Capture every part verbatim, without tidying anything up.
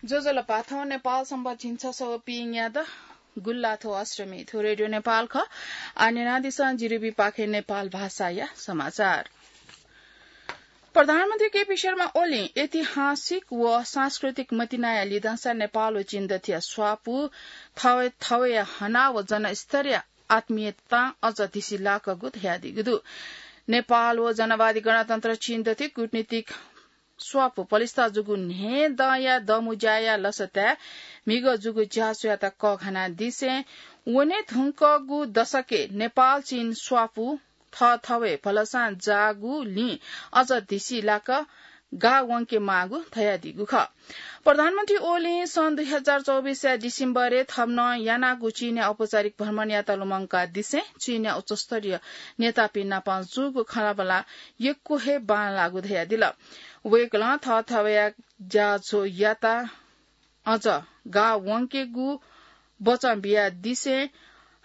ज्वजलपा, थौं नेपाल संवत् झिंछसः व पीन्यादँ गुल्लाथ्व अष्टमी। थ्व रेडियो नेपाल खः। आः न्यनादिसँ जिरिबी पाखें नेपाल भाषाया समाचार। प्रधानमन्त्री केपी शर्मा ओलीं ऐतिहासिक व सांस्कृतिक मतिनाया लिधंसा नेपाल व चीन दथुया स्वापू थवय् थवय् हना व जनस्तरीय आत्मीयतां अझ धिसिलाकःगु धयादीगु दु। नेपाल व जनवादी गणतन्त्र चीन दथुइ कूटनीतिक स्वापू पलिस्था जूगु न्हय्दँया दमुज्याया लसताय् म्हिगः जूगु ज्याझ्वःयात कःघानादिसें वने धुंकूगु दशकय् नेपाल चीन स्वापू थःथवय् भलसां जाःगुलिं अझ धिसिलाक गाः वंके माःगु धयादीगु खः। प्रधानमन्त्री ओलीं सन् दुई हजार चौबिसया डिसेम्बरय् थम्हं यानागु चीनया औपचारिक भ्रमणयात लुमंकादिसें चीनया उच्चस्तरीय नेतापिं नाप जूगु खँल्हाबल्हा यक्व हे बांलाःगु धयादिल। वय्कलं थःथवया ज्याझ्वःयात अझ गाः वंकेगु वचं बियादिसें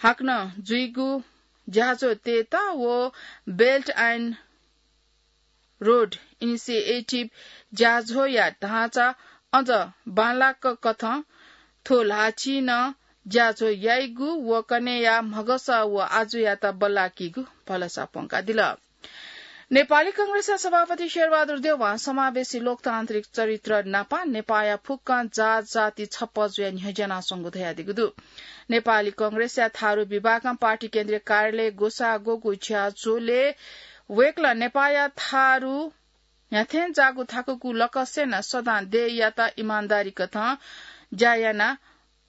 हाकनं जुइगु ज्याझ्वः तयेत व Belt and Road Initiative ज्याझ्वःया ढाँचा अझ बांलाक कथं थ्व ल्हाःचिं नं ज्याझ्वः याइगु व कन्हय्या म्हगस व आजुयात बल्लाकीगु भलसा प्वंकादिल। नेपाली कांग्रेसया सभापति शेरबहादुर देवां समावेशी लोकतान्त्रिक चरित्र नापं नेपाःया फुक्कं जात जाति छप्पँ जुयाः न्ह्यज्यानाच्वंगु धयादीगु दु। नेपाली कांग्रेसया थारु विभागं पार्टी केन्द्रीय कार्यालय ग्वसाः ग्वःगु ज्याझ्वलय् वय्कलं नेपाःया थारु न्ह्याथें जाःगु थाकुगु लकसय् नं सदां देय्‌यात इमानदारी कथं ज्या याना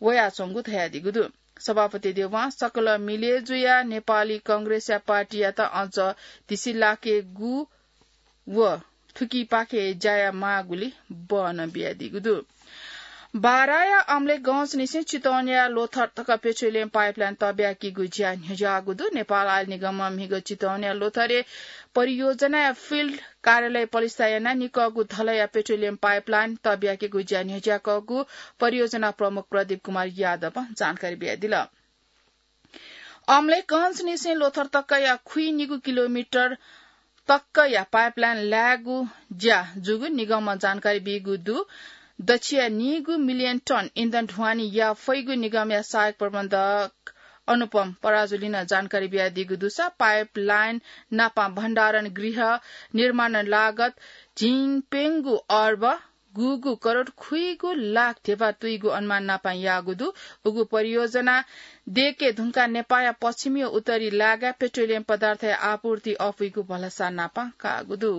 वयाच्वंगु धयादीगु दु। सभापति देवां सकल मिले जुयाः नेपाली कांग्रेसया पार्टीयात अझ धिसिलाकेगु व थुकिपाखे ज्या यायेमाःगुलि बहनं बियादीगु दु। बाराया अमलेखगंजनिसें चितवनया लोथर तक पेट्रोलियम पाइपलाइन तःब्याकीगु ज्या न्ह्यज्याःगु दु। नेपाल आयल निगमं म्हिगः चितवनया लोथरय् परियोजनाया फिल्ड कार्यालय पलिस्था यानाः निकःगु धलया पेट्रोलियम पाइपलाइन तःब्याकीगु ज्या न्ह्यज्याकःगु परियोजना प्रमुख प्रदीप कुमार यादवं जानकारी बियादिल। अमलेखगंजनिसें लोथर तकया खुइनिगू किलोमिटर तकया पाइपलाइन लायेगु ज्या जूगु निगमं जानकारी बीगु दु। दच्छिया नीगू मिलियन टन इन्धन ढुवानी याये फइगु निगमया सहायक प्रबन्धक अनुपम पराजुलीं जानकारी बियादीगु दुसा पाइपलाइन नापं भण्डारण गृह निर्माण लागत झिंप्यंगू अर्ब गुगू करोड खुइगू लाख धेबा तुइगु अनुमान नापं याःगु दु। उगु परियोजना दयेके धुंकाः नेपाःया पश्चिमी व उत्तरी लागाय् पेट्रोलियम पदार्थया आपूर्ति अपुइगु भलसा नापं काःगु दु।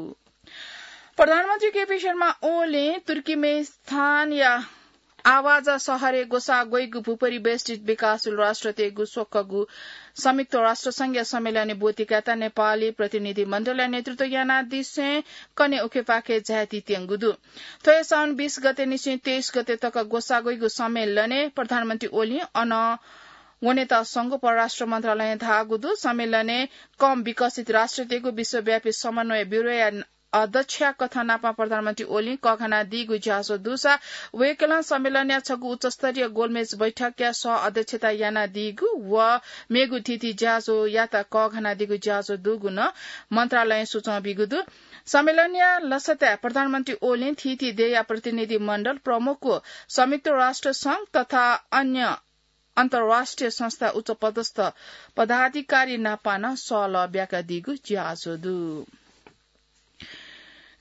प्रधानमन्त्री केपी शर्मा ओलीं तुर्कीमेनिस्तानया आवाजा शहरय् ग्वसाः ग्वइगु भूपरिवेष्ठित विकासशील राष्ट्रतय्गु स्वक्वःगु संयुक्त राष्ट्र संघया सम्मेलनय् ब्वति कायेत नेपाली प्रतिनिधि मण्डलया नेतृत्व यानादिसें कन्हय् उखेपाखे झायादीत्यंगु दु। थ्व हे साउन बीस गते निसें तेइस गते तक ग्वसाः ग्वइगु सम्मेलनय् प्रधानमन्त्री ओलीं अन वनेत संघ परराष्ट्र मन्त्रालयं धाःगु दु। सम्मेलनय् कम विकसित राष्ट्रतय्गु विश्वव्यापी समन्वय ब्यूरोया अध्यक्ष कथं नापं प्रधानमन्त्री ओलीं कःघानादीगु ज्याझ्वः दुसा वय्कलं सम्मेलनया छगू उच्चस्तरीय गोलमेज बैठकया सह अध्यक्षता यानादीगु व मेगु थीथी ज्याझ्वःयात कःघानादीगु ज्याझ्वः दुगु नं मन्त्रालयं सुचं बीगु दु। सम्मेलनया लसताय् प्रधानमन्त्री ओलीं थीथी देय्या प्रतिनिधि मण्डल प्रमुख व संयुक्त राष्ट्र संघ तथा अन्य अन्तर्राष्ट्रिय संस्था उच्चपदस्थ पदाधिकारी नापं नं सल्लाह ब्याकादीगु ज्याझ्वः दु।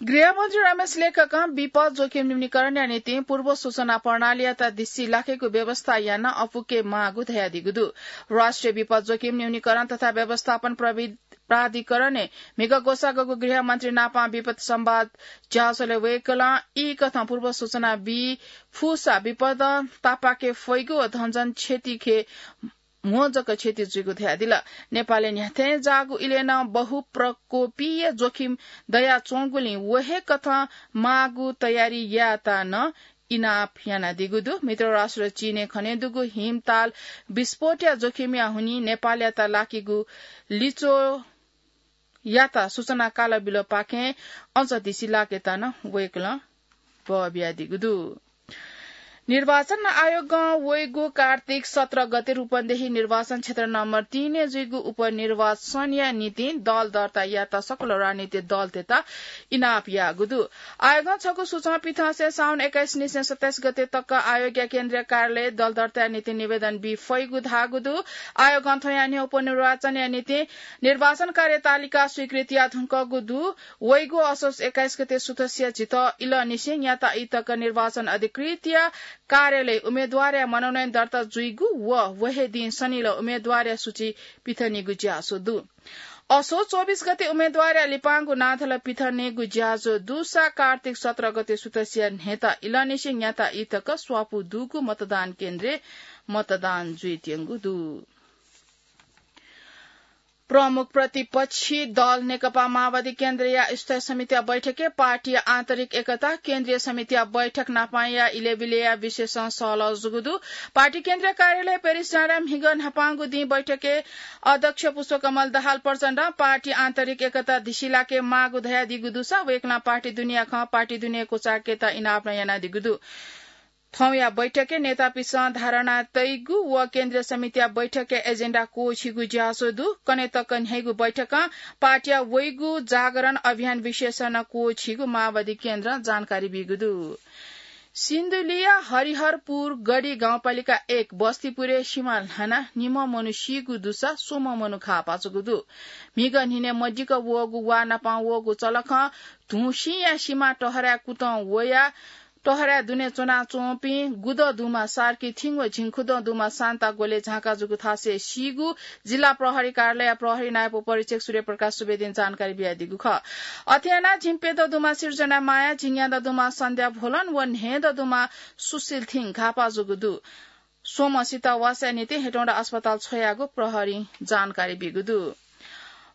गृहमन्त्री रमेश लेखकं विपद जोखिम न्यूनीकरणया निंतिं पूर्व सूचना प्रणालीयात धिसिलाकेगु व्यवस्था यानाः अपुके माःगु धयादीगु दु। राष्ट्रिय विपद जोखिम न्यूनीकरण तथा व्यवस्थापन प्रवि-, प्राधिकरणय् म्हिगः ग्वसाः ग्वःगु गृहमन्त्री नापं विपद संवाद ज्याझ्वलय् वय्कलं ई कथं पूर्व सूचना बी फुसा विपदं तापाके फइगु व धनजन क्षतिखे म्हो जक क्षति जुइगु धयादिल। नेपालय् न्ह्याथें जाःगु इलय् नं बहुप्रकोपीय जोखिम दयाच्वंगुलिं व हे कथं माःगु तयारी यायेत नं इनाप यानादीगु दु। मित्र राष्ट्र चीनय् खनेदुगु हिमताल विस्फोटया जोखिमया हुनिं नेपालयात लाकीगु लिच्वःयात सूचना कालबिलपाखें अझ धिसिलाकेत नं वय्कलं बः बियादीगु दु। निर्वाचन आयोगं वइगु कार्तिक सत्र गते रूपन्देही निर्वाचन क्षेत्र नम्बर तीन जुइगु उपनिर्वाचनया निंतिं दल दर्ता यात सकल राजनीतिक दलतय्त इनाप याःगु दु। आयोगं छगू सूचना पिथंसे साउन एक्काइस निसें सत्ताइस गते तक आयोगया केन्द्रीय कार्यालय दल दर्ताया निंतिं निवेदन बी फइगु धाःगु दु। आयोगं थ्वया न्ह्यः उपनिर्वाचनया निंतिं निर्वाचन कार्यतालिका स्वीकृत याः धुंकूगु दु। वइगु असोज एक्काइस गते सुथसिया झित इलंनिसें न्याता ई तक निर्वाचन अधिकृतया कार्यालय उम्मेद्वारया मनोनयन दर्ता जुइगु व व हे दिं सनिल उम्मेद्वारया सूची पिथनीगु ज्याझ्वः दु। असोज चौबिस गते उम्मेद्वारया लिपांगु नांथल पिथनीगु ज्याझ्वः दुसा कार्तिक सत्र गते सुथसिया न्ह्यता इलंनिसें न्याता ई तक स्वापू दुगु मतदान केन्द्रय् मतदान जुइत्यंगु दु। प्रमुख प्रतिपक्षी दल नेकपा माओवादी केन्द्रया स्थायी समितिया बैठकय् पार्टीया आन्तरिक एकता, केन्द्रीय समितिया बैठक नापंया इलेबिलेया विषयसं सहलह जूगु दु। पार्टी केन्द्रीय कार्यालय पेरिस जाँडाय् म्हिगः न्हापांगु दिं बैठकय् अध्यक्ष पुष्पकमल दाहाल प्रचण्डं पार्टी आन्तरिक एकता धिसिलाके माःगु धयादीगु दुसा वय्कलं पार्टी दुनेया खँ पार्टी दुने क्वचायेकेत इनाप नं यानादीगु दु। थौंया बैठकय् नेतापिसं धारणा तइगु व केन्द्रीय समितिया बैठकय् एजेन्डा क्वःछीगु ज्याझ्वः दु। कन्हय् तक न्ह्याइगु बैठकं पार्टीया वइगु जागरण अभियान विषयसं नं क्वःछीगु माओवादी केन्द्रं जानकारी बीगु दु। सिन्धुलीया हरिहरपुर गढी गाउँपालिका एक बस्तीपुरय् सिमा ल्हानाः निम्ह मनू सीगु दुसा स्वम्ह मनू घाः पाःगु दु। म्हिगः न्हिनय् मदिक्क वःगु वा नापं वःगु चलखं धुंसिंया सिमा टहराय् कुतं वयाः टहराय् दुने च्वनाच्वंपिं गुदँ दुम्ह सार्की थिं व झिंखुदँ दुम्ह सान्ता ग्वले झांका जूगु थासय् सीगु जिल्ला प्रहरी कार्यालय प्रहरी नायब उपरीक्षक सूर्यप्रकाश सुवेदीं जानकारी बियादीगु खः। अथे यानाः झिंप्यदँ दुम्ह सिर्जना माया, झिंन्यादँ दुम्ह सन्ध्या भोलन व न्हय्दँ दुम्ह सुशील थिं घाःपाः जूगु दु। स्वम्हसित वासया निंतिं हेटौंडा अस्पताल छ्वयागु प्रहरीं जानकारी बीगु दु।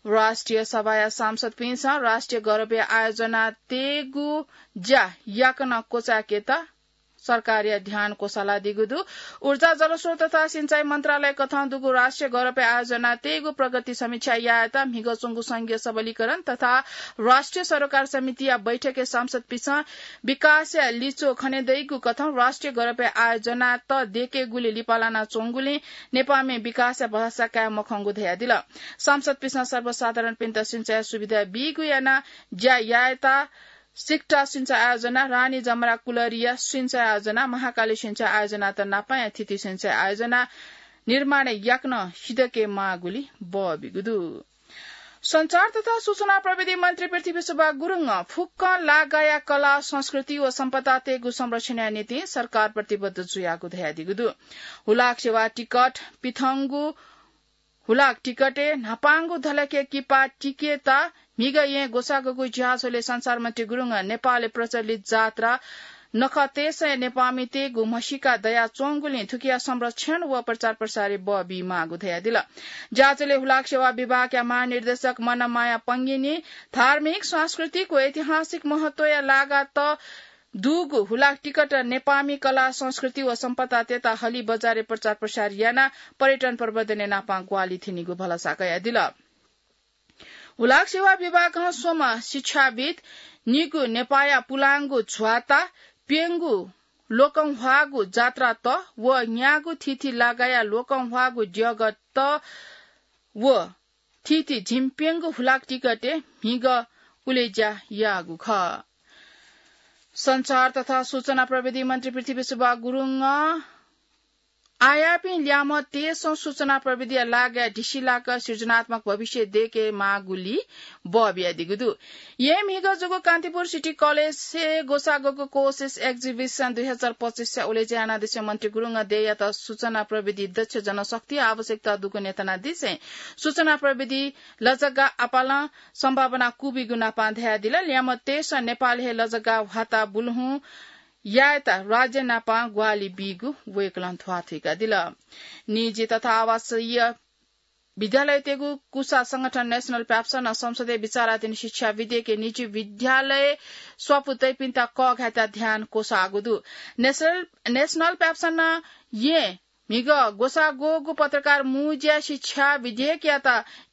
राष्ट्रिय सभाया सांसदपिन्सं राष्ट्रिय गौरवया आयोजना तयेगु ज्या याकनं क्वचायेकेत सरकारया ध्यान क्वसालादीगु दु। ऊर्जा, जलस्रोत तथा सिंचाई मन्त्रालय कथं दुगु राष्ट्रिय गौरवया आयोजना तयेगु प्रगति समीक्षा यायेत म्हिगः च्वंगु संघीय सबलीकरण तथा राष्ट्रिय सरोकार समितिया बैठकय् सांसदपिन्सं विकासया लिच्वः खनेदइगु कथं राष्ट्रिय गौरवया आयोजनात दयेकेगुली लिपा लानाच्वंगुलिं नेपाःमि विकासया भलसा काये मखंगु धयादिल। सांसदपिन्सं सर्वसाधारणपिन्त सिंचाया सुविधा बीगु यानाः ज्या यायेत सिकटा सिंचाई आयोजना, रानी जमरा कुलरिया सिंचाई आयोजना, महाकाली सिंचाई आयोजनात नापंया थीथी सिंचाई आयोजना निर्माण याकनं सिधके माःगुली बःबिगु दु। सञ्चार तथा सूचना प्रविधि मन्त्री पृथ्वीशुभा गुरुङं फुक्कं लागाया कला, संस्कृति व सम्पदा तयेगु संरक्षणया निंतिं सरकार प्रतिबद्ध जुयागु धयादीगु दु। हुलाक सेवा टिकट पिथंगु हुलाक टिकटय् न्हापांगु धलखे किपा टिकेत म्हिगः येँ ग्वसाःगु ज्याझ्वलय् सञ्चार मन्त्री गुरुङं नेपालय् प्रचलित जात्रा नखःतय्सं नेपाःमितय्गु म्हसीका दयाच्वंगुलिं थुकिया संरक्षण व प्रचार प्रसारय् बः बीमाःगु धयादिल। ज्याझ्वलय् हुलाक सेवा विभागया महानिर्देशक मनमाया पंगिनी धार्मिक, सांस्कृतिक व ऐतिहासिक महत्वया लागात दुगु हुलाक टिकट नेपाःमि कला, संस्कृति व सम्पदातय्त हलिं बजारय् प्रचार प्रसार यानाः पर्यटन प्रवर्धनय् नापं ग्वाहालि थ्यनीगु भलसा कयादिल। हुलाक सेवा विभागं स्वम्ह शिक्षाविद्, निगू नेपाःया पुलांगु झ्वाता, प्यंगू ल्वकंह्वाःगु जात्रात व न्यागू थीथी लागाया ल्वकंह्वाःगु द्यःगत व थीथी झिंप्यंगू हुलाक टिकटय् म्हिगः उलेज्या याःगु खः। सञ्चार तथा सूचना प्रविधि मन्त्री पृथ्वीशुभा गुरुङं आःयाःपिं ल्याय्म्हतय्सं सूचना प्रविधिया लागाय् ढिसिलाक सृजनात्मक भविष्य दयेकेमाःगुली बः बियादीगु दु। येँ म्हिगः जूगु कान्तिपुर सिटी कलेजय् ग्वसाःगु कोसिस एक्जिबिसन दुई हजार पच्चिसया उलेज्या यानादिसें मन्त्री गुरुङं देय्‌यात सूचना प्रविधि, दक्ष जनशक्ति आवश्यकता दुगु न्यतानादिसें सूचना प्रविधि लजगाः आपालं सम्भावना कूबिगु नापं धयादिल। ल्याय्‌म्हतय्सं नेपालय् हे लजगाः ह्वाताः बुलुहुँ यायेत राज्य नापं ग्वाहालि बीगु वय्‌कलं ध्वाथुइकादिल। निजी तथा आवासीय विद्यालयतय्गु कुसा संगठन नेशनल प्याप्सनं संसदय् विचाराधीन शिक्षा विधेयकय् निजी विद्यालय स्वापू तइपिन्त कःघायेत ध्यान क्वसाःगु दु। नेशनल, नेशनल प्याप्सनं येँ म्हिगः ग्वसाः ग्वःगु पत्रकार मुज्या शिक्षा विधेयकयात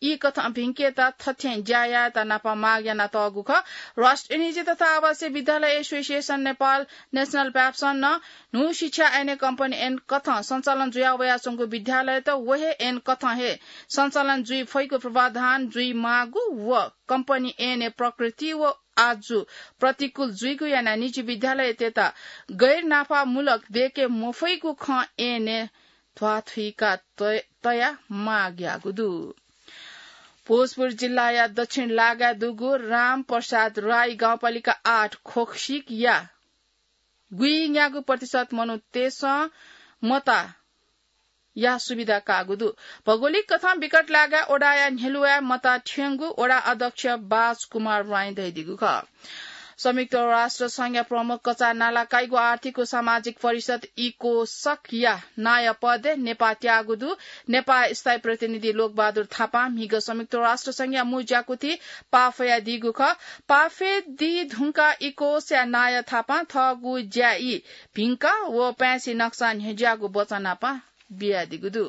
ई कथं भिंकेत थथें ज्या यायेत नापं माग यानातःगु खः। राष्ट्रिय निजी तथा आवासीय विद्यालय एसोसिएसन नेपाल, नेशनल प्याप्सन नं न्हू शिक्षा ऐनय् कम्पनी ऐन कथं सञ्चालन जुया वयाच्वंगु विद्यालयत व हे ऐन कथं हे सञ्चालन जुइ फइगु प्रावधान जुइ माःगु व कम्पनी ऐनय् प्रकृति व आजु प्रतिकूल जुइगु यानाः निजी विद्यालयतय्त गैर नाफामूलक दय्के मफइगु खँ ऐनय् ध्वाथुइका तय-, तया माग याःगु दु। भोजपुर जिल्लाया दक्षिण लागाय् दुगु रामप्रसाद राई गाउँपालिका आठ खोकसिकया गुइन्यागू प्रतिशत मनूतय्सं मता या सुविधा काःगु दु। भौगोलिक कथं विकट लागाय् वडाया न्ह्यलुवाय् मता थ्यंगु वडा अध्यक्ष बाज कुमार राईं धयादीगु खः। संयुक्त राष्ट्र संघया प्रमुख कचा नालाकाइगु आर्थिक व सामाजिक परिषद इकोसकया नायः पदय् नेपाः त्याःगु दु। नेपाः स्थायी प्रतिनिधि लोकबहादुर थापां म्हिगः संयुक्त राष्ट्र संघया मू ज्याकुथि पाफयादीगु खः। पाफे दी धुंका इकोसया नायः थापां थःगु ज्या ई भिंका व पाय्छि नक्सा न्ह्यज्याःगु वचन नापं बियादीगु दु।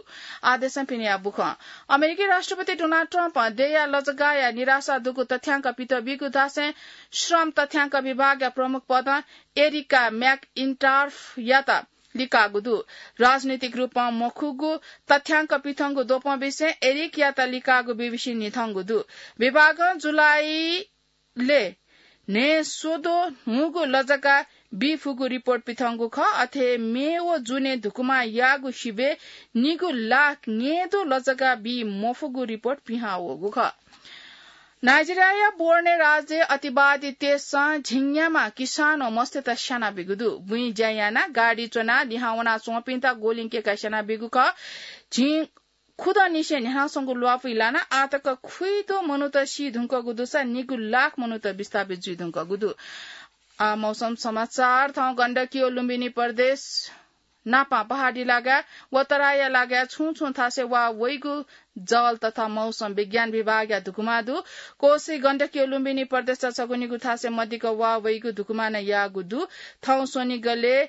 आदेशं पिनेया बुखं अमेरिकी राष्ट्रपति डोनाल्ड ट्रम्पं देय्या लजगाःया निराशा दुगु तथ्यांक पित बीगु धासें श्रम तथ्यांक विभागया प्रमुख पदं एरिका म्याकइन्टार्फयात लिकाःगु दु। राजनीतिक रूपं मखुगु तथ्यांक पिथंगु द्वपं विषयं एरिकयात लिकाःगु बीबीसीं न्ह्यथंगु दु। विभागं जुलाईले न्हय् स्वद्वः न्हूगु लजगाः बी फुगु रिपोर्ट पिथंगु खः। अथे हे मे व जुनय् धुकुमा याःगु सिबय् निगू लाख न्यय्दँ लजगाः बी मफुगु रिपोर्ट पिहां वःगु खः। नाइजेरियाया बोर्ने राज्यय् अतिवादी तेजसं झिंन्याम्ह किसान व मस्तय्त स्यानाबीगु दु। बुँइ ज्या यानाः गाडी च्वनाः लिहां वनाच्वंपिन्त गोलिं कय्काः स्यानाबीगु खः। झिं खुदँनिसें न्ह्यानाच्वंगु ल्वापुइ लानाः आःतक खुइद्वः मनूत सी धुंकूगु दुसा निगू लाख मनूत विस्थापित जुइ धुंकूगु दु। आ, मौसम समाचार। थौं गण्डकी व लुम्बिनी प्रदेश नापं पहाडी लागाय् व तराईया लागाय् छुं छुं थासय् वा वइगु जल तथा मौसम विज्ञान विभागया धुकुमा दु। कोशी, गण्डकी व लुम्बिनी प्रदेशया छगू निगू थासय् मदिक्क वा वइगु धुकुमा नं याःगु दु। थौं स्वनिगलय्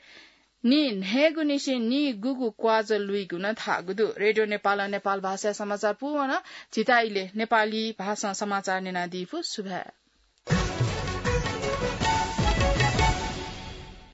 नि न्हय्गु निसें नि गुगु क्वाजः लुइगु नं धाःगु दु। रेडियो नेपालं नेपाल भाषाया समाचार पूवन। झीत इलय् नेपाली भाषां समाचार न्यनादीफु। सुभाय्।